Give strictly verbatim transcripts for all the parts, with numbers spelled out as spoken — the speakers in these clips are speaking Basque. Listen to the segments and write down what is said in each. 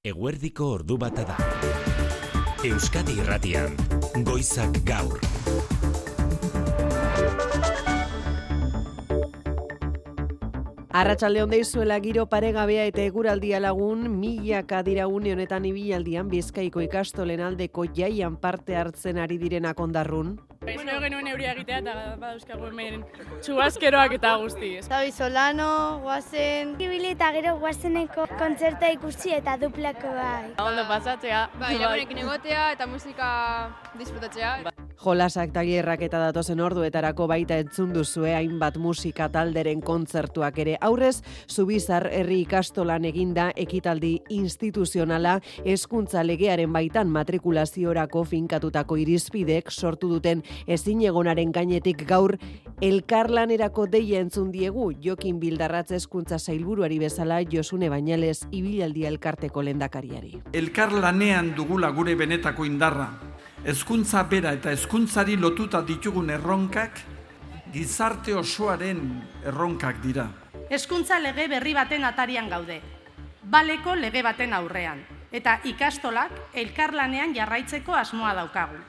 Eguerdiko ordu bata da. Euskadi Irratian, Goizak Gaur. Arratsalde on deizuela, giro paregabea eta eguraldia lagun, milaka dira une honetan ibilaldian Bizkaiko ikastolen aldeko jaian parte hartzen ari direnak ondarrun. Espero genuen euria egitea eta badauzkagu hemen txuazkeroak eta guzti. Zabi Solano, guazen... Ibili eta gero guazeneko kontzerta ikusi eta duplako bai. Ondo pasatzea. Bai, lagunekin egotea eta musika disfrutatzea. Jolasak tailerrak eta datozen orduetarako baita entzun duzue hainbat musika talderen kontzertuak ere. Aurrez, Zubizar herri ikastolan eginda ekitaldi instituzionala hezkuntza legearen baitan matrikulaziorako finkatutako irizpidek sortu duten ezinegonaren gainetik gaur elkarlanerako deia entzun diegu Jokin Bildarratz hezkuntza sailburuari bezala Josune Bañales ibilaldia elkarteko lehendakariari. Elkarlanean dugula gure benetako indarra. Hezkuntza bera eta hezkuntzari lotuta ditugun erronkak gizarte osoaren erronkak dira. Hezkuntza lege berri baten atarian gaude. Baleko lege baten aurrean eta ikastolak elkarlanean jarraitzeko asmoa daukagu.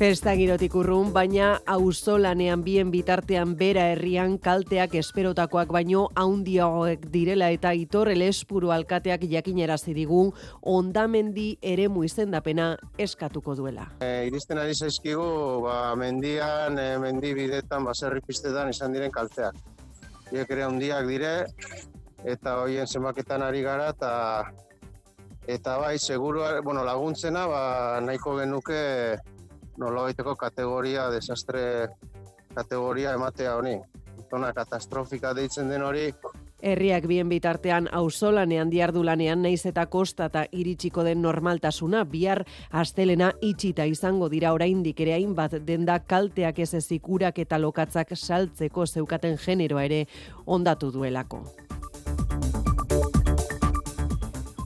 Festa girotik urrun, baina auzolanean bien bitartean bera herrian kalteak esperotakoak baino haundiagoek direla eta Aitor Elespuru alkateak jakinarazi digu hondamendi eremu izendapena eskatuko duela. E, iristen ari zaizkigu, ba, mendian, e, mendi bidetan, baserri pistetan izan diren kalteak. Hiek ere handiak dire eta hoien zenbaketan ari gara eta eta bai, seguru, bueno, laguntzena, ba, nahiko genuke nolabaiteko kategoria, desastre kategoria ematea honi. Zona katastrofika deitzen den hori. Herriak bien bitartean auzolanean diardulanean naiz eta kostata iritsiko den normaltasuna, bihar astelena itxita izango dira oraindik ere hainbat denda kalteak ez ezik urak eta lokatzak saltzeko zeukaten generoa ere hondatu duelako.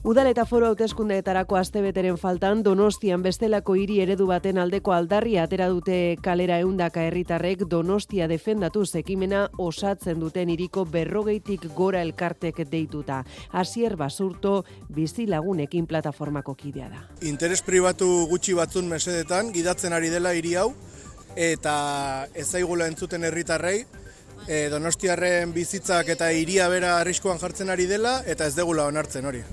Udal eta foru hauteskundeetarako astebeteren faltan Donostian bestelako hiri eredu baten aldeko aldarria atera dute kalera ehundaka herritarrek Donostia defendatuz ekimena osatzen duten hiriko berrogeitik gora elkartek deituta. Asier Basurto bizilagunekin plataformako kidea da. Interes pribatu gutxi batzun mesedetan gidatzen ari dela hiri hau eta ez zaigula entzuten herritarrei. E, Donostiarren bizitzak eta hiria bera arriskuan jartzen ari dela eta ez degula onartzen hori.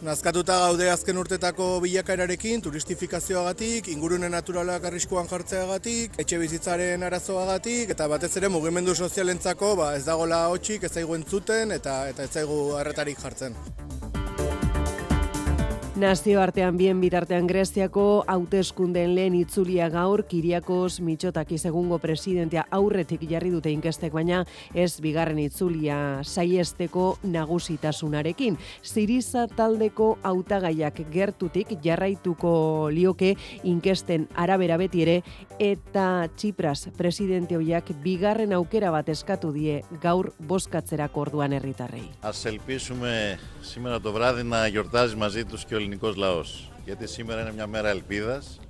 Nazkatuta gaude azken urtetako bilakaerarekin, turistifikazioagatik, ingurune naturalak arriskuan jartzeagatik, etxe bizitzaren arazoagatik, eta batez ere mugimendu sozialentzako ba, ez dagola hotxik, ez zaigu entzuten eta, eta ez zaigu arretarik jartzen. Nazioartean bien bitartean Greziako hauteskundeen lehen itzulia gaur Kiriakos Mitsotakis egungo presidentea aurretik jarri dute inkestek, baina ez bigarren itzulia saiesteko nagusitasunarekin. Siriza taldeko hautagaiak gertutik jarraituko lioke inkesten arabera beti ere eta Tsipras presidente hoiak bigarren aukera bat eskatu die gaur bozkatzerako orduan herritarrei. Ας ελπίσουμε σήμερα το βράδυ να γιορτάζει μαζί τους και ο ελληνικός λαός, γιατί σήμερα είναι μια μέρα ελπίδας.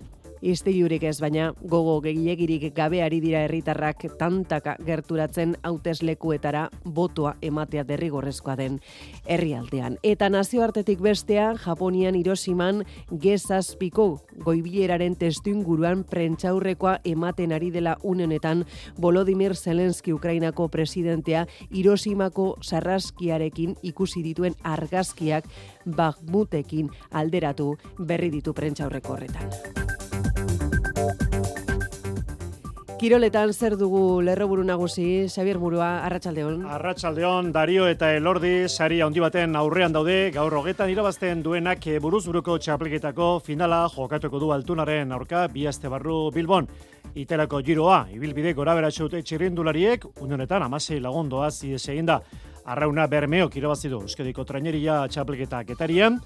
Istilurik ez, baina gogo gehiagirik gabe ari dira herritarrak tantaka gerturatzen hauteslekuetara botoa ematea derrigorrezkoa den herrialdean. Eta nazioartetik bestea, Japonian Hiroshiman Ge zazpiko goibileraren testuinguruan prentsaurrekoa ematen ari dela une honetan Volodymyr Zelensky Ukrainako presidentea Hiroshimako sarraskiarekin ikusi dituen argazkiak Bakhmutekin alderatu berri ditu prentsaurreko horretan. Kiroletan zer dugu lerroburu nagusi, Xabier Murua, arratsaldeon. Arratsaldeon, Dario eta Elordi saria handi baten aurrean daude, gaur hogetan irabazten duenak buruz buruko txapelketako finala jokatuko du Altunaren aurka bi aste barru Bilbon. Itelako giroa, ibilbide goraberatsu dute txirrindulariek, une honetan hamasei lagun doaz ihes eginda. Arrauna Bermeok irabazi du Euskadiko traineria txapelketa Getarian.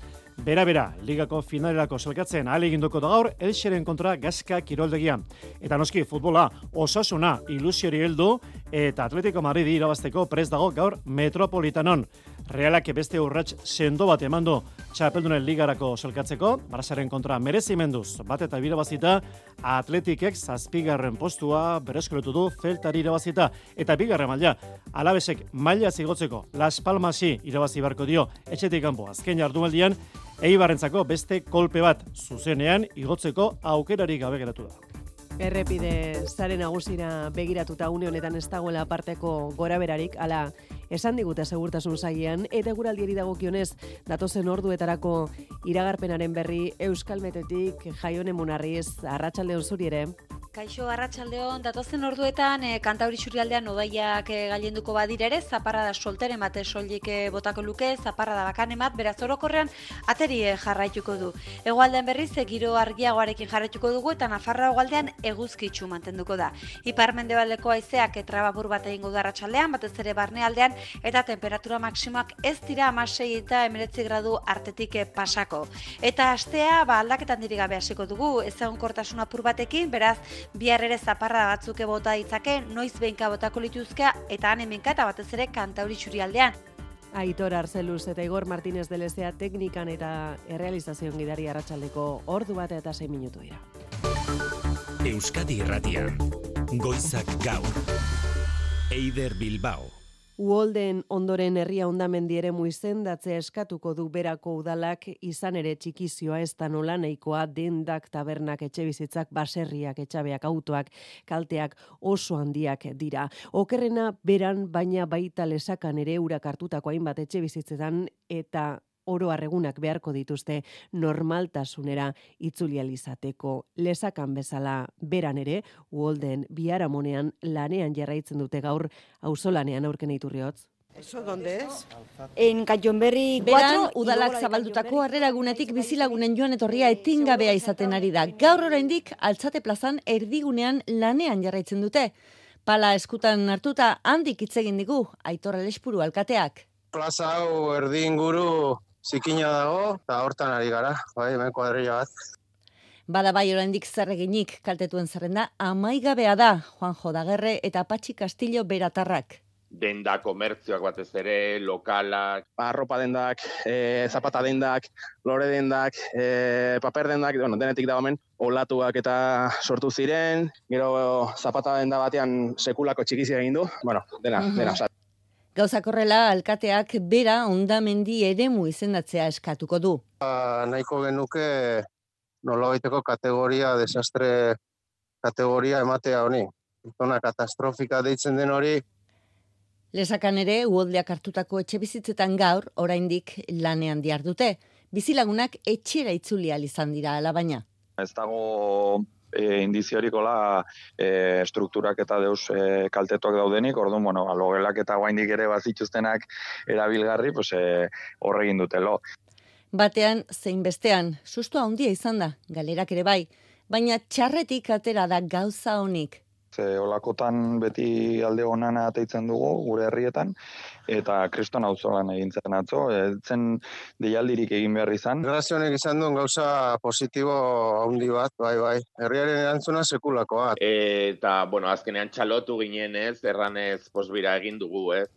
Bera-bera, ligako finalerako selkatzen ahaleginduko da gaur Elxeren kontra Gaska kiroldegian. Eta noski futbola, Osasuna ilusiori heldu eta Atletico Madrid irabazteko prest dago gaur Metropolitanon. Realak beste urrats sendo bat eman du Txapeldunen ligarako solkatzeko, Barçaren kontra merezimenduz bat eta irabazita, Atletikek zazpigarren postua berreskuratu du Celtari irabazita, eta bigarren maila, Alavesek maila zigotzeko Las Palmasi irabazi beharko dio etxetik kanpo azken jardunaldian, Eibarrentzako beste kolpe bat zuzenean igotzeko aukerari gabe geratu da. Errepide zare nagusira begiratuta une honetan ez dagoela aparteko goraberarik, ala esan digute segurtasun sailean, eta eguraldiari dagokionez datozen orduetarako iragarpenaren berri Euskalmetetik Jaione Munarriz, arratsaldeon zuri ere. Kaixo, arratsaldeon, datozen orduetan e, Kantauri Isurialdean odaiak e, gailenduko badira ere, zaparrada solteren bat soilik e, botako luke, zaparrada bakanen bat, beraz orokorrean ateri e, jarraituko du. Hegoaldean berriz, e, giro argiagoarekin jarraituko dugu, eta Nafarroa hegoaldean eguzkitsu mantenduko da. Ipar-mendebaldeko haizeak trabapur bat egingo du arratsaldean, batez ere barnealdean, eta temperatura maksimoak ez dira hamasei eta hemeretzi gradu artetik e, pasako. Eta astea, ba, aldaketan diri gabe hasiko dugu, ezegonkortasun apur batekin, beraz, bihar ere zaparra batzuk bota ditzake, noiz behinka botako lituzkea, eta han hemenka eta batez ere Kantauri Isurialdean. Aitor Arzeluz eta Igor Martínez de Lezea teknikan eta errealizazioan gidari arratsaldeko ordu bat eta sei minutu dira. Euskadi Irratian, Goizak Gaur, Eider Bilbao. Uholden ondoren herria hondamendi eremu izendatzea eskatuko du berako udalak, izan ere txikizioa ez da nola nahikoa, dendak, tabernak, etxebizitzak, baserriak, etxabeak, autoak, kalteak oso handiak dira. Okerrena beran, baina baita lesakan ere urak hartutako hainbat etxebizitzetan, eta oro arregunak beharko dituzte normaltasunera itzulializateko. Lesakan bezala beran ere, Uholden biharamonean lanean jarraitzen dute gaur auzolanean aurken Iturriotz. ¿Eso dónde es? En Kayonberri Beran, udalak zabaldutako harreragunetik bizilagunen joan etorria etengabea izaten ari da. Gaur oraindik Altzate plazan erdigunean lanean jarraitzen dute. Pala eskutan hartuta handik hitz egin digu Aitor Alespuru alkateak. Plaza hau erdi inguru zikina dago, eta hortan ari gara, bai, hemen kuadrilla bat. Bada bai oraindik zer eginik kaltetuen zerrenda amaigabea da, Juanjo Dagerre eta Patxi Castillo beratarrak. Denda komertzioak batez ere, lokalak. Arropa dendak, e, zapata dendak, lore dendak, e, paper dendak, bueno, denetik da hemen, olatuak eta sortu ziren, gero zapata denda batean sekulako txikizia egin du, bueno, dena, uh-huh. dena. Gauzak horrela, alkateak bera hondamendi eremu izendatzea eskatuko du. Ba, nahiko genuke nolabaiteko kategoria, desastre kategoria ematea honi. Zona katastrofika deitzen den hori. Lesakan ere, uholdeak hartutako etxebizitzetan gaur, oraindik lanean dihardute. Bizilagunak etxera itzuli ahal izan dira alabaina. Ez dago e, indiziorikola e, strukturak eta deus e, kaltetuak daudenik, orduan, bueno, logelak eta guaindik ere bazituztenak erabilgarri, pues, e, horregin dutelo. Batean, zein bestean, sustoa handia izan da, galerak ere bai, baina txarretik atera da gauza honik. Ze olakotan beti alde honana ateitzen dugu gure herrietan, eta kriston auzolan egin zen atzo, zen deialdirik egin behar izan. Grazio honek izan duen gauza positibo handi bat, bai, bai. Herriaren erantzuna sekulakoa. Eta, bueno, azkenean txalotu ginen ez, erranez posbira egin dugu, ez.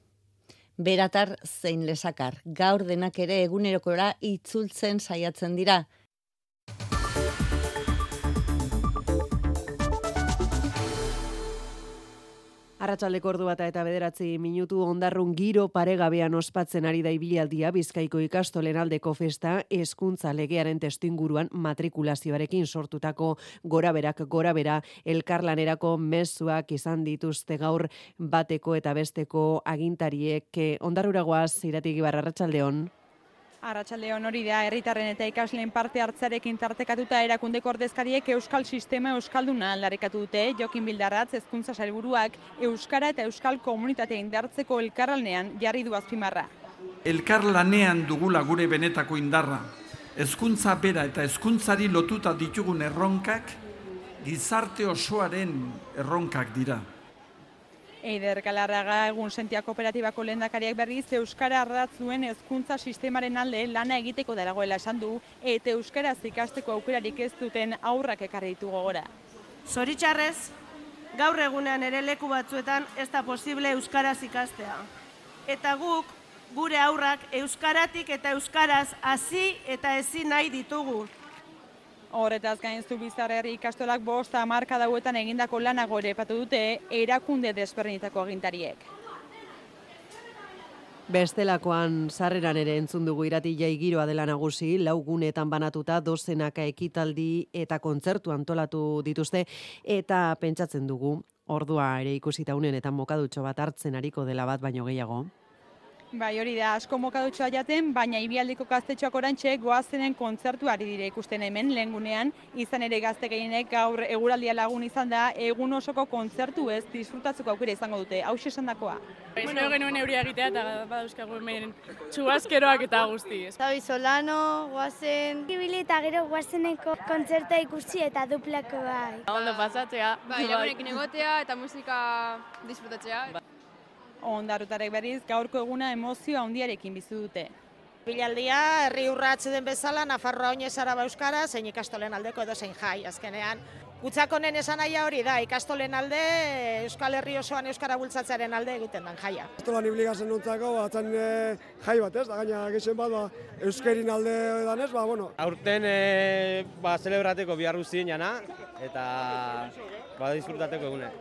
Beratar zein lesakar, gaur denak ere egunerokora itzultzen saiatzen dira. Arratsaldeko ordu bata eta bederatzi minutu Ondarrun giro paregabean ospatzen ari da ibilaldia Bizkaiko ikastolen aldeko festa hezkuntza legearen testuinguruan matrikulazioarekin sortutako goraberak gorabera elkarlanerako mezuak izan dituzte gaur bateko eta besteko agintariek. Ondarrura goaz, Irati Gibar, arratsaldeon. Arratsaldeon hori da, herritarren eta ikasleen parte hartzarekin tartekatuta erakundeko ordezkariek euskal sistema euskalduna aldarrikatu dute. Jokin Bildarratz hezkuntza sailburuak euskara eta euskal komunitatea indartzeko elkarlanean jarri du azpimarra. Elkarlanean dugula gure benetako indarra. Hezkuntza bera eta hezkuntzari lotuta ditugun erronkak gizarte osoaren erronkak dira. Eider Galarraga egun sentia kooperatibako lehendakariak berriz euskara ardatz duen hezkuntza sistemaren alde lana egiteko dagoela esan du, eta euskaraz ikasteko aukerarik ez duten aurrak ekarri ditu gogora. Zoritxarrez, gaur egunean ere leku batzuetan ez da posible euskaraz ikastea. Eta guk, gure aurrak, euskaratik eta euskaraz hasi eta ezin nahi ditugu. Horretaz gain Zubizar herri ikastolak bost hamarkada hauetan egindako lanago ere aipatu dute erakunde desberdinetako agintariek. Bestelakoan sarreran ere entzun dugu irati jai giroa dela nagusi, lau gunetan banatuta dozenaka ekitaldi eta kontzertu antolatu dituzte, eta pentsatzen dugu, ordua ere ikusita unenetan mokadutxo bat hartzen ariko dela bat baino gehiago. Bai, hori da, asko mokadutxoa jaten, baina Ibialdiko gaztetxoak orantxe goazenen kontzertuari dire ikusten hemen lehengunean, izan ere gazte gehienek gaur eguraldia lagun izan da, egun osoko kontzertu ez disfrutatzeko aukera izango dute, hau esandakoa. Espero genuen euria egitea eta badauzkagu hemen txuazkeroak eta guzti. Zabi Solano, goazen... Ibili eta gero goazeneko kontzerta ikusi eta duplako bai. Ondo pasatzea. Bai, lagunekin egotea eta musika disfrutatzea. Ondarrutarek berriz, gaurko eguna emozio handiarekin bizi dute. Bilaldia, herri urratz den bezala, Nafarroa oinez araba euskara, zein ikastolen aldeko edo zein jai, azkenean. Gutzakonen esan nahia hori da, ikastolen alde, Euskal Herri osoan euskara bultzatzearen alde egiten den jaia. Ikastolan ibligazen nontzako, batzen jai bat ez, da gaina gexen bat, ba, euskerin alde danez, ba, bueno. Aurten, e, ba, celebrateko biharru ziren jana, eta, ba, disfrutateko egune.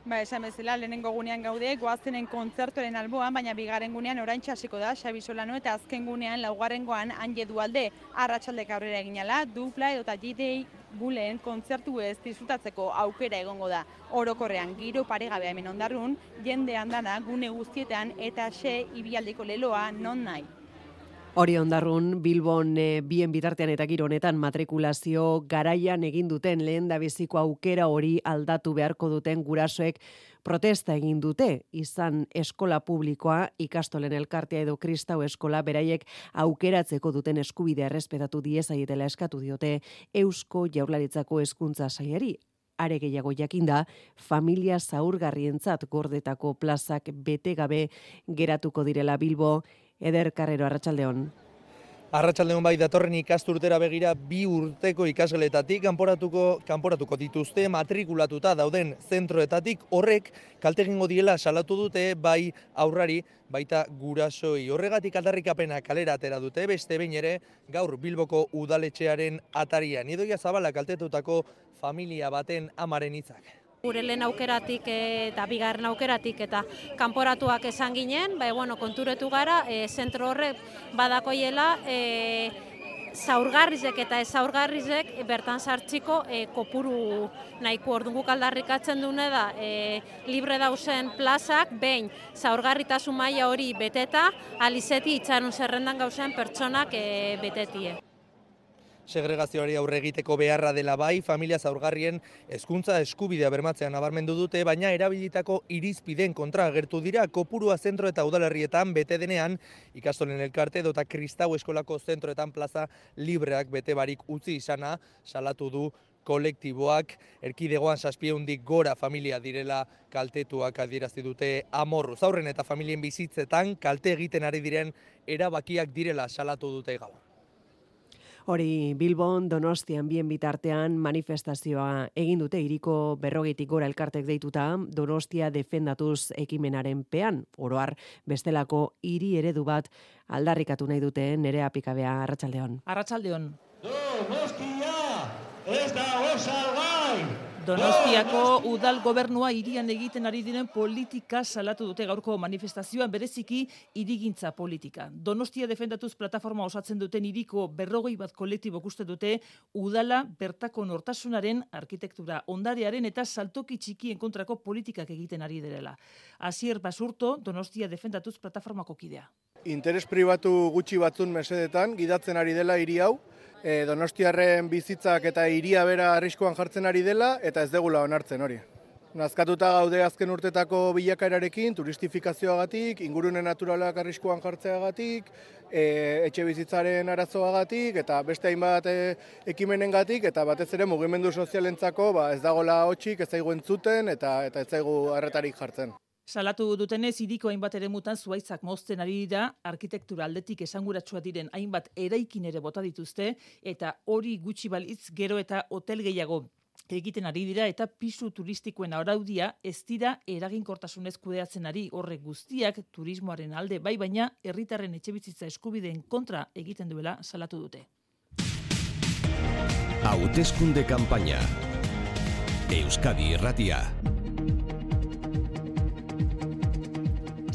Ba, esan bezala, lehenengo gunean gaude, goazenen kontzertoren alboan, baina bigarren gunean oraintxe hasiko da, Xabi Solano, eta azken gunean, laugarrengoan, Anje Dualde, arratsaldek aurrera eginala, dupla edota G-Day buleen kontzertu ez disfrutatzeko aukera egongo da. Orokorrean, giro paregabea hemen Ondarrun, jende andana, gune guztietan, eta xe Ibialdiko leloa non nahi. Hori Ondarrun, Bilbon e, bien bitartean eta giro honetan matrikulazio garaian egin duten lehendabiziko aukera hori aldatu beharko duten gurasoek protesta egin dute, izan eskola publikoa, ikastolen elkartea edo kristau eskola beraiek aukeratzeko duten eskubidea errespetatu diezaietela eskatu diote Eusko Jaurlaritzako hezkuntza sailari. Are gehiago jakinda, familia zaurgarrientzat gordetako plazak bete gabe geratuko direla Bilbo. Eder Carrero, arratsaldeon. Arratsaldeon bai, datorren ikasturtera begira bi urteko ikasgeletatik kanporatuko kanporatuko dituzte matrikulatuta dauden zentroetatik, horrek kalte egingo diela salatu dute bai aurrari baita gurasoi. Horregatik aldarrikapena kalera atera dute, beste behin ere gaur Bilboko udaletxearen atarian. Idoia Zabala kaltetutako familia baten amaren hitzak. Gure lehen aukeratik eta bigarren aukeratik eta kanporatuak esan ginen, bai, bueno, konturetu gara, e, zentro horrek badakoiela e, zaurgarrizek eta ez zaurgarrizek bertan sartziko e, kopuru nahiko orduan guk aldarrikatzen dune da e, libre dauzen plazak, behin zaurgarritasun maila hori beteta, alizeti itxarun zerrendan gauzen pertsonak e, betetie. Segregazioari aurre egiteko beharra dela bai, familia zaurgarrien hezkuntza eskubidea bermatzean nabarmendu dute, baina erabilitako irizpideen kontra agertu dira kopurua zentro eta udalerrietan bete denean, ikastolen elkarte edota kristau eskolako zentroetan plaza libreak bete barik utzi izana salatu du kolektiboak. Erkidegoan zazpiehundik gora familia direla kaltetuak adierazi dute amorru. Zaurren eta familien bizitzetan kalte egiten ari diren erabakiak direla salatu dute gaur. Hori Bilbon, Donostian bien bitartean manifestazioa egin dute hiriko berrogeitik gora elkartek deituta Donostia defendatuz ekimenaren pean. Oroar bestelako hiri eredu bat aldarrikatu nahi dute Nerea Pikabea, arratsaldeon. Arratsaldeon. Donostia ez da osalgai! Donostiako udal gobernua hirian egiten ari diren politika salatu dute gaurko manifestazioan, bereziki hirigintza politika. Donostia defendatuz plataforma osatzen duten hiriko berrogei bat kolektibok uste dute udala bertako nortasunaren, arkitektura ondarearen eta saltoki txikien kontrako politikak egiten ari direla. Asier Basurto, Donostia defendatuz plataformako kidea. Interes pribatu gutxi batzun mesedetan gidatzen ari dela hiri hau, E, Donostiarren bizitzak eta hiria bera arriskuan jartzen ari dela eta ez degula onartzen hori. Nazkatuta gaude azken urtetako bilakaerarekin, turistifikazioagatik, ingurune naturalak arriskuan jartzeagatik, e, etxe bizitzaren arazoagatik eta beste hainbat e, ekimenengatik eta batez ere mugimendu sozialentzako ba, ez dagola hotsik, ez zaigu entzuten eta, eta ez zaigu arretarik jartzen. Salatu dutenez, hiriko hainbat eremutan zuaitzak mozten ari dira, arkitektura aldetik esanguratsua diren hainbat eraikin ere bota dituzte, eta hori gutxi balitz gero eta hotel gehiago egiten ari dira eta pisu turistikoen araudia ez dira eraginkortasunez kudeatzen ari. Horrek guztiak turismoaren alde bai, baina herritarren etxebizitza eskubideen kontra egiten duela salatu dute. Hauteskunde kanpaina. Euskadi Irratia.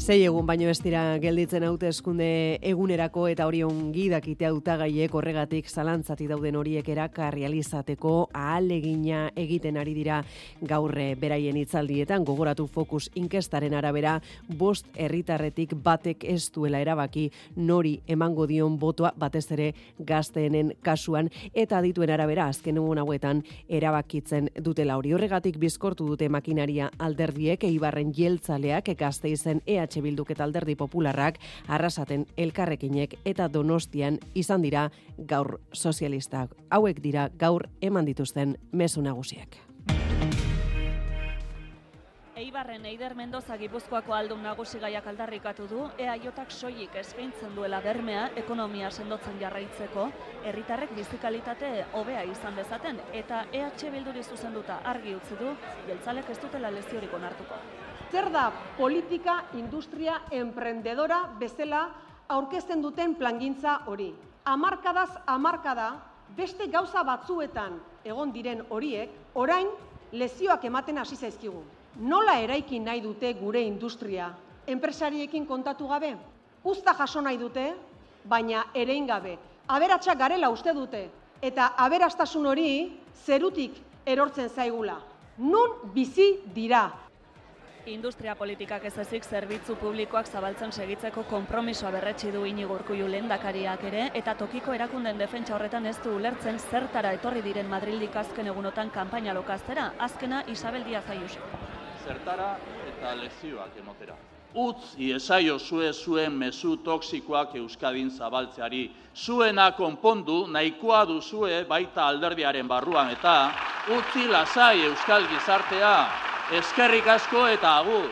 Sei egun baino ez dira gelditzen hauteskunde egunerako eta hori ongi dakite hautagaiek horregatik zalantzati dauden horiek erakarrealizateko ahalegina egiten ari dira gaur beraien hitzaldietan. Gogoratu Focus inkestaren arabera bost herritarretik batek ez duela erabaki nori emango dion botoa, batez ere gazteenen kasuan, eta adituen arabera azken egun hauetan erabakitzen dutela hori. Horregatik bizkortu dute makinaria alderdiek, Eibarren jeltzaleak, Gasteizen E H Bilduk eta Alderdi Popularrak, Arrasaten Elkarrekinek eta Donostian izan dira gaur sozialistak. Hauek dira gaur eman dituzten mezu nagusiak. Eibarren Eider Mendoza Gipuzkoako aldun nagusi gaiak aldarrikatu du, EAJak soilik eskaintzen duela bermea ekonomia sendotzen jarraitzeko, herritarrek bizikalitate hobea izan dezaten, eta E H Bilduri zuzenduta argi utzi du, jeltzalek ez dutela leziorik onartuko. Zer da politika industria emprendedora bezala aurkezten duten plangintza hori? Hamarkadaz hamarkada beste gauza batzuetan egon diren horiek, orain lezioak ematen hasi zaizkigu. Nola eraiki nahi dute gure industria? Enpresariekin kontatu gabe? Uzta jaso nahi dute, baina erein gabe. Aberatsak garela uste dute, eta aberastasun hori zerutik erortzen zaigula. Nun bizi dira? Industria politikak ez ezik zerbitzu publikoak zabaltzen segitzeko konpromisoa berretsi du Iñigo Urkullu lehendakariak ere, eta tokiko erakunden defentsa horretan ez du ulertzen zertara etorri diren Madrildik azken egunotan kanpaina lokaztera, azkena Isabel Díaz Ayuso. Zertara eta lezioak emotera. Utz iesaio zue zuen mezu toksikoak Euskadin zabaltzeari. Zuena konpondu nahikoa duzue baita alderdiaren barruan eta utzi lasai Euskal gizartea. Eskerrik asko eta agur.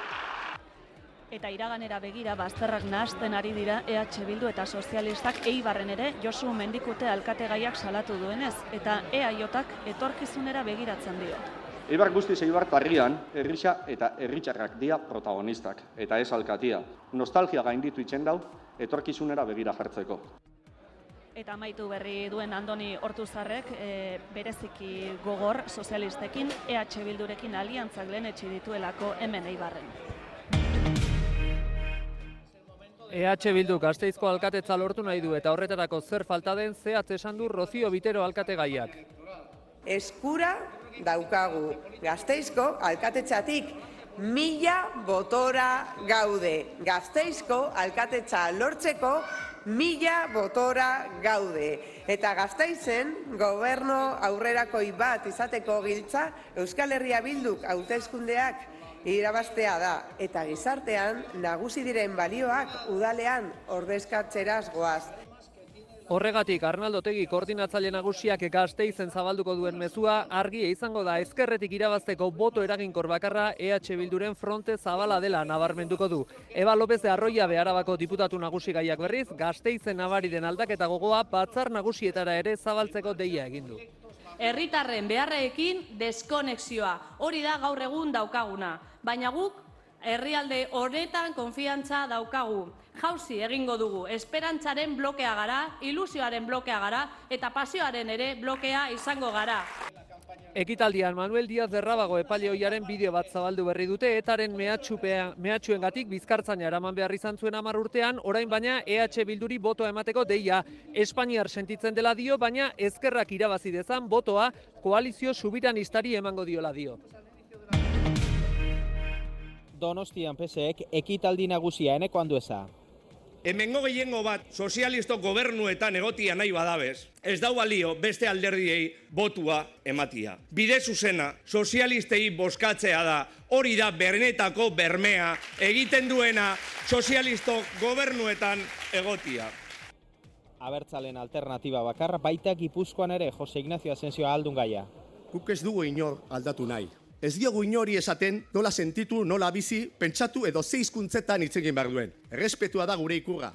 Eta iraganera begira bazterrak nahasten ari dira E H Bildu eta sozialistak Eibarren ere Josu Mendikute alkategaiak salatu duenez, eta EAJak etorkizunera begiratzen dio. Eibar guztiz Eibarko herrian, herrisa eta herritarrak dira protagonistak, eta ez alkatia. Nostalgia gainditu itzen dau, etorkizunera begira jartzeko. Eta amaitu berri duen Andoni Ortuzarrek e, bereziki gogor sozialistekin E H Bildurekin aliantzak lehenetsi dituelako hemen Eibarren. E H Bildu Gasteizko alkatetza lortu nahi du eta horretarako zer falta den zehatz esan du Rocío Vitero alkategaiak. Eskura daukagu Gasteizko alkatetzatik mila botora gaude. Gasteizko alkatetza lortzeko mila botora gaude. Eta Gasteizen gobernu aurrerakoi bat izateko giltza Euskal Herria Bilduk hauteskundeak irabaztea da. Eta gizartean nagusi diren balioak udalean ordezkatzeraz goaz. Horregatik Arnaldo Otegi koordinatzaile nagusiak Gasteizen zabalduko duen mezua argia izango da ezkerretik irabazteko boto eraginkor bakarra E H Bilduren fronte zabala dela nabarmenduko du. Eba López de Arroia Arabako diputatu nagusi gaiak berriz, Gasteizen nabari den aldaketa gogoa batzar nagusietara ere zabaltzeko deia egin du. Herritarren beharreekin deskonexioa, hori da gaur egun daukaguna, baina guk herrialde honetan konfiantza daukagu. Jauzi egingo dugu, esperantzaren blokea gara, ilusioaren blokea gara, eta pasioaren ere blokea izango gara. Ekitaldian Manuel Díaz de Rábago epaile ohiaren bideo bat zabaldu berri dute, etaren mehatxuengatik bizkartzaina eraman behar izan zuen hamar urtean, orain baina E H Bilduri botoa emateko deia. Espainiar sentitzen dela dio, baina ezkerrak irabazi dezan botoa koalizio subiranistari emango diola dio. Donostian P S ek ekitaldi nagusia eneko Andueza. Hemengo gehiengo bat sozialisto gobernuetan egotia nahi badabez, ez dau balio beste alderdiei botua ematia. Bide zuzena, sozialistei bozkatzea da, hori da bernetako bermea, egiten duena sozialisto gobernuetan egotia. Abertzalen alternatiba bakarra, baita Gipuzkoan ere Jose Ignacio Asensio aldun gaia. Guk ez dugu inor aldatu nahi. Ez diogu inori esaten nola sentitu, nola bizi, pentsatu edo ze hizkuntzetan hitz egin behar duen. Errespetua da gure ikurra.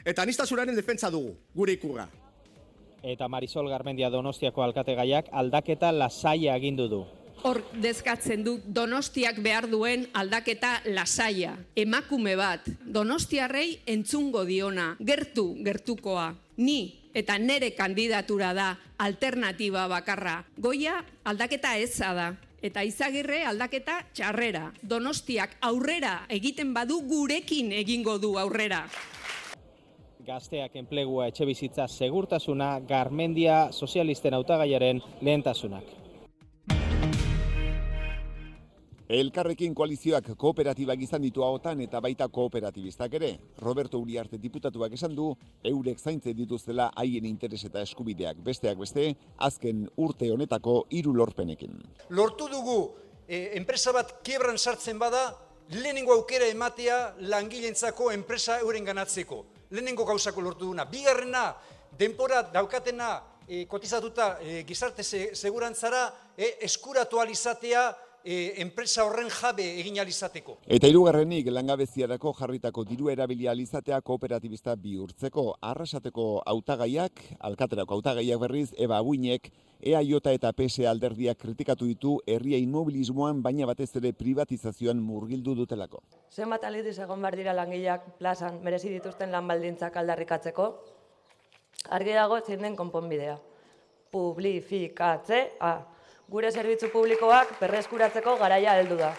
Eta aniztasunaren defentsa dugu, gure ikurra. Eta Marisol Garmendia Donostiako alkategaiak aldaketa lasaia agindu du. Hor dezkatzen du Donostiak behar duen aldaketa lasaia. Emakume bat, Donostiarrei entzungo diona, gertu gertukoa. Ni eta nere kandidatura da alternatiba bakarra. Goia aldaketa eza da. Eta Izagirre aldaketa txarrera. Donostiak aurrera egiten badu gurekin egingo du aurrera. Gazteak enplegua, etxebizitza, segurtasuna, Garmendia sozialisten hautagaiaren lehentasunak. Elkarrekin koalizioak kooperatibak izan ditu ahotan eta baita kooperatibistak ere. Roberto Uriarte diputatuak esan du, eurek zaintzen dituztela haien interes eta eskubideak besteak beste, azken urte honetako hiru lorpenekin. Lortu dugu, eh, enpresa bat kiebran sartzen bada, lehenengo aukera ematea langilentzako enpresa euren ganatzeko. Lehenengo gauzako lortu duna. Bigarrena, denpora daukatena eh, kotizatuta eh, gizarte segurantzara eh, eskuratu alizatea, E, enpresa horren jabe egin alizateko. Eta hirugarrenik langabeziarako jarritako diru erabilia alizatea kooperatibista bihurtzeko. Arrasateko hautagaiak, alkaterako hautagaiak berriz, Eba Abuinek, E A J eta P S alderdiak kritikatu ditu herria inmobilismoan, baina batez ere privatizazioan murgildu dutelako. Zenbat aldiz egon behar dira langileak plazan merezi dituzten lan baldintzak aldarrikatzeko, argi dago zein den konponbidea. Publifikatzea. Gure zerbitzu publikoak berreskuratzeko garaia heldu da.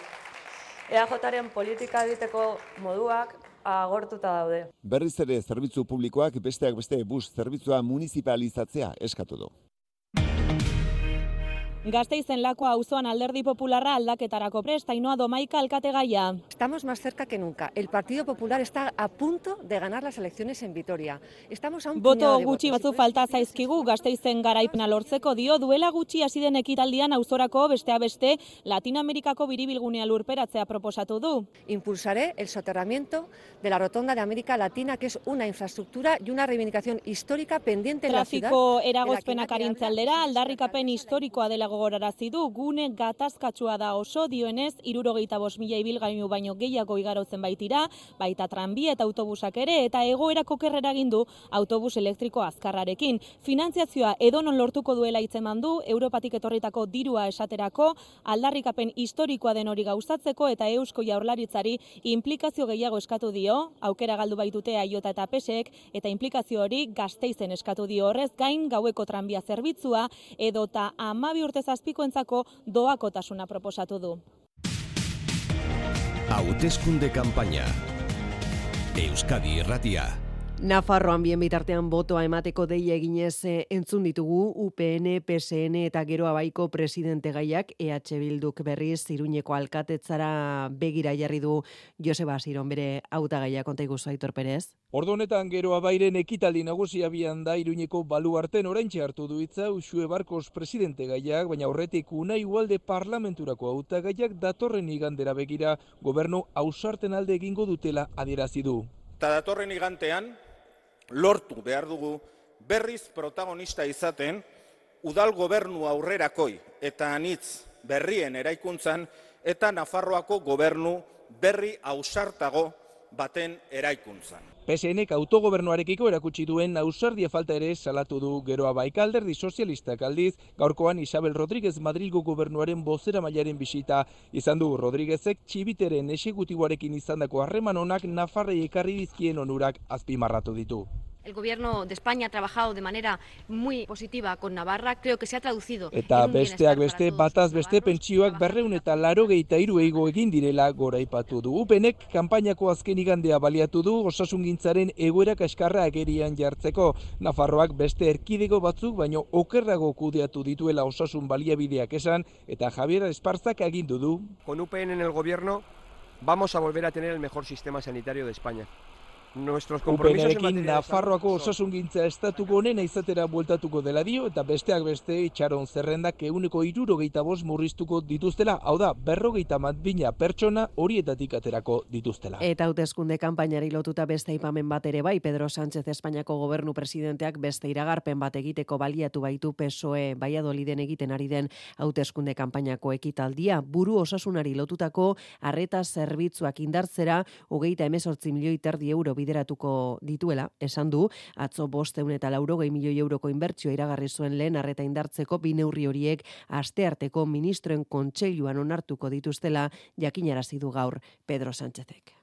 E A Jaren politika egiteko moduak agortuta daude. Berriz ere zerbitzu publikoak besteak beste bus zerbitzua municipalizatzea eskatu du. Gasteizen Lakua auzoan Alderdi Popularra aldaketarako prest, Ainhoa Domaika alkategaia. Estamos más cerca que nunca. El Partido Popular está a punto de ganar las elecciones en Vitoria. Estamos a un Boto gutxi batzu falta zaizkigu Gasteizen garaipena lortzeko dio, duela gutxi hasi den ekitaldian auzorako bestea beste Latinoamerikako biribilgunea lurperatzea proposatu du. Impulsaré el soterramiento de la Rotonda de América Latina, que es una infraestructura y una reivindicación histórica pendiente en la ciudad. Trafiko eragozpenak arintze aldera, aldarrikapen historikoa dela gogorarazi du, gune gatazkatsua da oso, dioenez, hirurogeita bost mila ibilgailu baino gehiago igarotzen baitira, baita tranbia eta autobusak ere, eta egoerak okerrera egin du autobus elektriko azkarrarekin. Finantziazioa edonon lortuko duela hitzeman du, Europatik etorritako dirua esaterako, aldarrikapen historikoa den hori gauzatzeko eta Eusko Jaurlaritzari implikazio gehiago eskatu dio, aukera galdu baitute E A J eta P S ek, eta implikazio hori Gasteizen eskatu dio, horrez gain gaueko tranbia zerbitzua edota hamabi urte zazpikoentzako doakotasuna proposatu du. Hauteskunde kanpaina. Euskadi Irratia. Nafarroan bien bitartean botoa emateko deia eginez entzun ditugu U P N, P S N eta Geroa Baiko presidente gaiak. E H Bilduk berriz Iruñeko alkatetzara begira jarri du Joseba Asiron bere hautagaia, konta iguzu Aitor Perez. Ordu honetan Geroa Bairen ekitaldi nagusia bian da Iruñeko baluarten oraintxe hartu du hitza Uxue Barkos presidente gaiak, baina aurretik Unai Ugalde parlamenturako hautagaiak datorren igandera begira gobernu ausarten alde egingo dutela adierazi du. Eta datorren igantean lortu behar dugu berriz protagonista izaten udal gobernu aurrerakoi eta anitz berrien eraikuntzan eta Nafarroako gobernu berri ausartago baten eraikuntzan. P S Nek autogobernuarekiko erakutsi duen ausardia falta ere salatu du Geroa Baika. Alderdi sozialistak aldiz, gaurkoan Isabel Rodríguez Madrilgo gobernuaren bozeramailearen bisita izan du. Rodríguezek txibiteren exekutiboarekin izandako harreman onak Nafarrei ekarri dizkien onurak azpimarratu ditu. El Gobierno de España ha trabajado de manera muy positiva con Navarra, creo que se ha traducido. Eta besteak beste, bataz beste pentsioak berreun eta laurogeita hiru igo egin direla goraipatu du. U P Nek kanpainako azken igandea baliatu du osasungintzaren egoera kaskarra agerian jartzeko. Nafarroak beste erkidego batzuk baino okerrago kudeatu dituela osasun baliabideak esan eta Javier Esparzak agindu du. Con U P N en el Gobierno vamos a volver a tener el mejor sistema sanitario de España. Nuestros compromisos en materia de Nafarroako osasungintza estatuko honena izatera bueltatuko dela dio eta besteak beste itxaron zerrendak ehuneko hirurogeita bost murriztuko dituztela, hau da, berrogeita bat bina pertsona horietatik aterako dituztela. Eta hauteskunde kanpainari lotuta beste aipamen bat ere bai, Pedro Sánchez Espainiako gobernu presidenteak beste iragarpen bat egiteko baliatu baitu P S O E Valladoliden egiten ari den hauteskunde kanpainako ekitaldia, buru osasunari lotutako arreta zerbitzuak indartzera hogeita hemezortzi milioi terdi euro bideratuko dituela, esan du, atzo bosteun eta laurogei milioi euroko inbertsioa iragarri zuen lehen arreta indartzeko bi neurri horiek astearteko ministroen kontseiluan onartuko dituztela jakinarazi du gaur Pedro Sánchezek.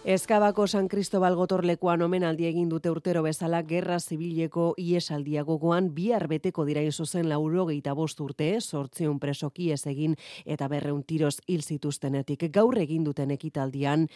Ezkabako San Cristobal gotorlekuan omenaldi egin dute urtero bezala gerra zibileko ihesaldia gogoan bihar beteko dira zuzen laurogeita bost urte, zortziehun presoki ez egin eta berreun tiroz hil zituztenetik. Gaur egin duten ekitaldian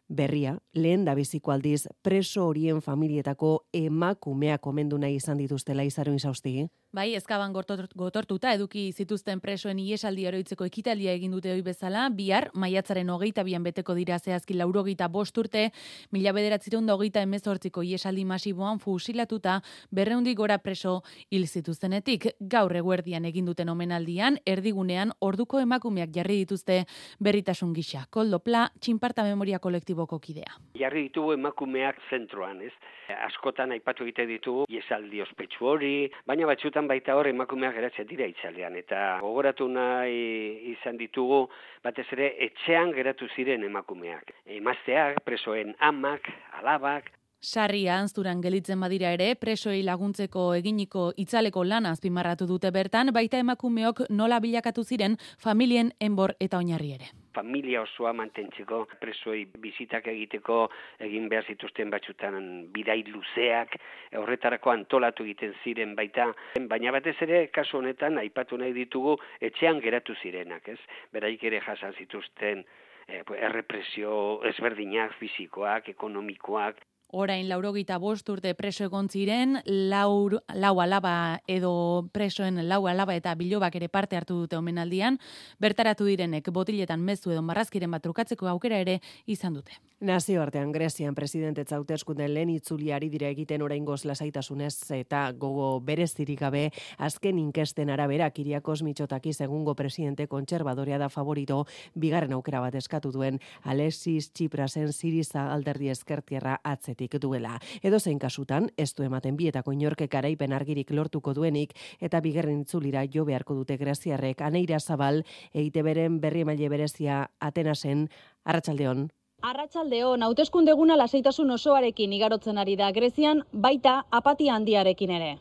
berria, lehen da biziko aldiz preso horien familietako emakumeak omendu nahi izan dituztela Izaro Insaustigi. Bai, Ezkaban gotortuta eduki zituzten presoen ihesaldi oroitzeko ekitaldia egin dute ohi bezala, bihar maiatzaren hogeita bian beteko dira zehazki laurogeita bost urte, mila bederatziehun eta hogeita hemezortziko ihesaldi masiboan fusilatuta berreundik gora preso hil zituztenetik. Gaur eguerdian egin duten omenaldian, erdigunean orduko emakumeak jarri dituzte berritasun gisa. Koldo Pla, Txinparta Memoria Kolektiboko kidea. Jarri ditugu emakumeak zentroan, ez? Askotan aipatu egite ditugu ihesaldi ospetsu hori, baina batzutan baita hor emakumeak geratzen dira itzalean, eta gogoratu nahi izan ditugu batez ere etxean geratu ziren emakumeak. Emazteak, presoen amak, alabak. Sarria anzturan gelitzen badira ere, presoei laguntzeko eginiko itzaleko lana azpimarratu dute bertan, baita emakumeok nola bilakatu ziren familien enbor eta oinarri ere. Familia osoa mantentzeko, presoei bizitak egiteko egin behar zituzten batzutan bidai luzeak, horretarako antolatu egiten ziren baita, baina batez ere kasu honetan aipatu nahi ditugu etxean geratu zirenak, ez? Beraik ere jasan zituzten eh, errepresio ezberdinak, fisikoak, ekonomikoak. Orain laurogeita bost urte preso egon ziren, lau, lau alaba edo presoen lau alaba eta bilobak ere parte hartu dute omenaldian, bertaratu direnek botiletan mezu edo marrazkiren bat trukatzeko aukera ere izan dute. Nazioartean Grezian presidentetza hauteskunde lehen itzuliari dira egiten oraingoz lasaitasunez eta gogo berezirik gabe azken inkesten arabera Kiriakos Mitsotakis egungo presidente kontserbadorea da favorito bigarren aukera bat eskatu duen Alexis Tsiprasen Siriza alderdi ezkertierra atzetik duela. Edo zein kasutan, ez du ematen bietako inorke garaipen argirik lortuko duenik eta bigarren itzulira jo beharko dute greziarrek. Aneira Zabal, E I Te Beren berri emaile berezia Atenasen, arratsaldeon. Arratsaldeon, hauteskunde eguna lasaitasun osoarekin igarotzen ari da Grezian, baita apatia handiarekin ere.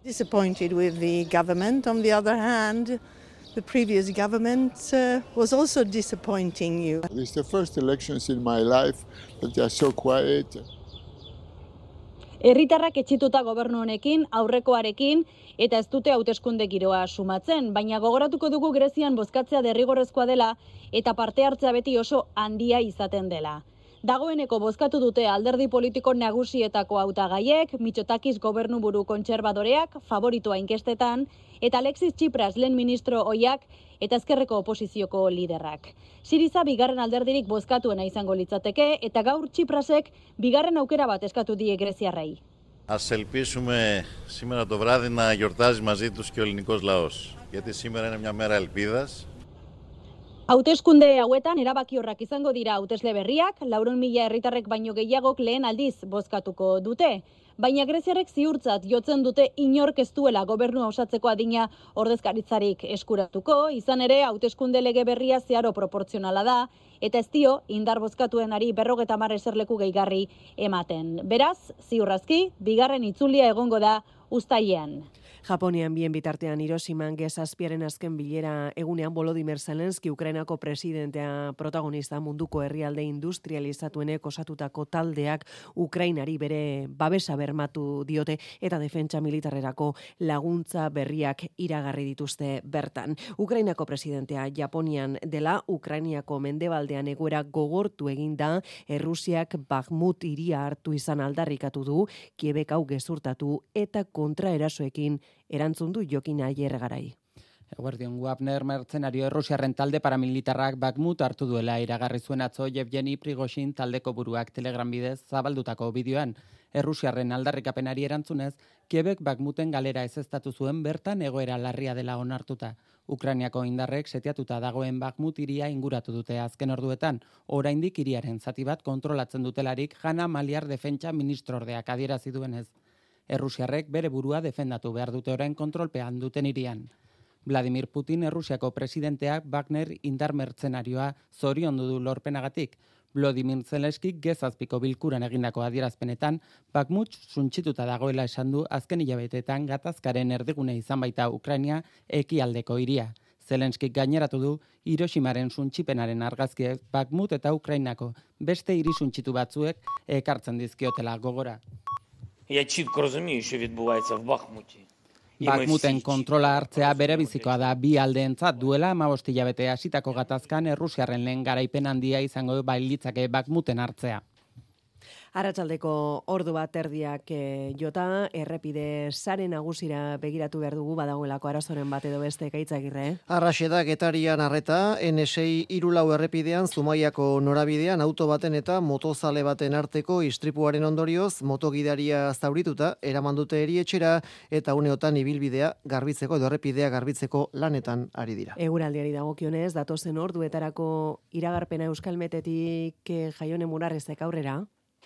Disappointed with the government. On the other hand, the previous government uh, was also disappointing you. This is the first elections in my life that are so quiet. Herritarrak etxituta gobernu honekin, aurrekoarekin, eta ez dute hauteskunde giroa sumatzen, baina gogoratuko dugu Grezian bozkatzea derrigorrezkoa dela eta parte hartzea beti oso handia izaten dela. Dagoeneko bozkatu dute alderdi politiko nagusietako hautagaiek, Mitsotakis gobernuburu kontserbadoreak, favoritoa inkestetan, eta Alexis Tsipras lehen ministro ohiak eta ezkerreko oposizioko liderrak. Siriza bigarren alderdirik bozkatuena izango litzateke eta gaur Tsiprasek bigarren aukera bat eskatu die greziarrei. Ας ελπίσουμε σήμερα το βράδυ να γιορτάζει μαζί τους και ο ελληνικός λαός, γιατί σήμερα είναι μια μέρα ελπίδας. Hauteskunde hauetan erabakiorrak izango dira hautesle berriak, laurehun mila herritarrek baino gehiagok lehen aldiz bozkatuko dute. Baina greziarrek ziurtzat jotzen dute inork ez duela gobernua osatzeko adina ordezkaritzarik eskuratuko, izan ere hauteskunde lege berria zeharo proportzionala da, eta ez dio indar bozkatuenari berrogeta hamar eserleku gehigarri ematen. Beraz, ziurrazki, bigarren itzulia egongo da uztailean. Japonian bien bitartean Hiroshiman G zazpiaren azken bilera egunean Volodymyr Zelensky Ukrainako presidentea protagonista munduko herrialde industrializatuenek osatutako taldeak Ukrainari bere babesa bermatu diote eta defentsa militarrerako laguntza berriak iragarri dituzte bertan. Ukrainako presidentea Japonian dela Ukrainiako mendebaldean egoera gogortu eginda Errusiak Bakhmut hiria hartu izan aldarrikatu du, Kiebek hau gezurtatu eta kontraerasoekin erantzun du Jokin Aiergarai. Eguerdion, Wagner mertzenario errusiarren talde paramilitarrak Bakhmut hartu duela iragarri zuen atzo Yevgeni Prigozhin taldeko buruak Telegram bidez zabaldutako bideoan. Errusiarren aldarrikapenari erantzunez, Kiebek Bakhmuten galera ezeztatu zuen bertan egoera larria dela onartuta. Ukrainiako indarrek setiatuta dagoen Bakhmut hiria inguratu dute azken orduetan, oraindik hiriaren zati bat kontrolatzen dutelarik Hanna Maliar defentsa ministrordeak adierazi duenez. Errusiarrek bere burua defendatu behar dute orain kontrolpean duten hirian. Vladimir Putin Errusiako presidenteak Wagner indar mertzenarioa zoriondu du lorpenagatik. Volodymyr Zelenskyk gezazpiko bilkuran egindako adierazpenetan, Bakhmut suntsituta dagoela esan du azken hilabeteetan gatazkaren erdigune izan baita Ukraina ekialdeko hiria. Zelenskik gaineratu du Hiroshimaren suntsipenaren argazkiek Bakhmut eta Ukrainako beste hiri suntsitu batzuek ekartzen dizkiotela gogora. Я чітко розумію, що відбувається в Бахмуті. Bakhmuten kontrola hartzea bere bizikoa da bi aldeentzat duela hamabost hilabete hasitako gatazkan Errusiarren lehen garaipen handia izango bailitzake Bakhmuten hartzea. Arratsaldeko ordu bat erdiak e, jota, errepide sare nagusira begiratu behar dugu badagoelako arazoren bat edo beste Gaitzagirre. Arraxe da Getarian arreta, ene sei hirulau errepidean Zumaiako norabidean auto baten eta motozale baten arteko istripuaren ondorioz motogidaria zaurituta eraman dute erietxera eta uneotan ibilbidea garbitzeko edo errepidea garbitzeko lanetan ari dira. Eguraldiari dagokionez, datozen orduetarako iragarpena Euskalmetetik e, Jaione Murarrezek aurrera.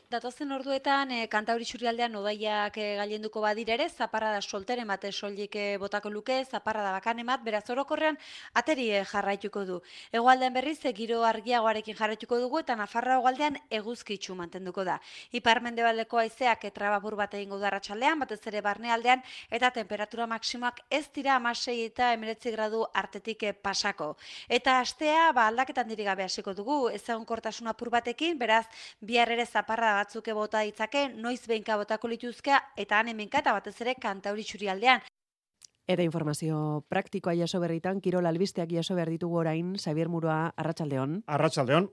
Datozen orduetan, e, Kantauri Txurialdean odaiak e, gailenduko badira ere, zaparrada solteren bat soilik e, botako luke, zaparrada bakanen bat, beraz orokorrean ateri e, jarraituko du. Hegoaldean berriz, e, giro argiagoarekin jarraituko dugu, eta Nafarroa hegoaldean eguzkitsu mantenduko da. Ipar-mendebaldeko haizeak e, trabapur bat egingo da arratsaldean, batez ere barnealdean, eta temperatura maksimoak ez dira hamasei eta hemeretzi gradu artetik e, pasako. Eta astea, ba, aldaketan diri gabe hasiko dugu, ez egonkortasun apur batekin, beraz, bihar ere zaparrada batzuke bota ditzake, noiz behinka botako lituzkea, eta han hemenka eta batez ere Kantauri Txurialdean. Eta informazio praktikoa jaso berritan, kirol albisteak jaso behar ditugu orain, Xabier Murua, arratsaldeon. Arratsaldeon.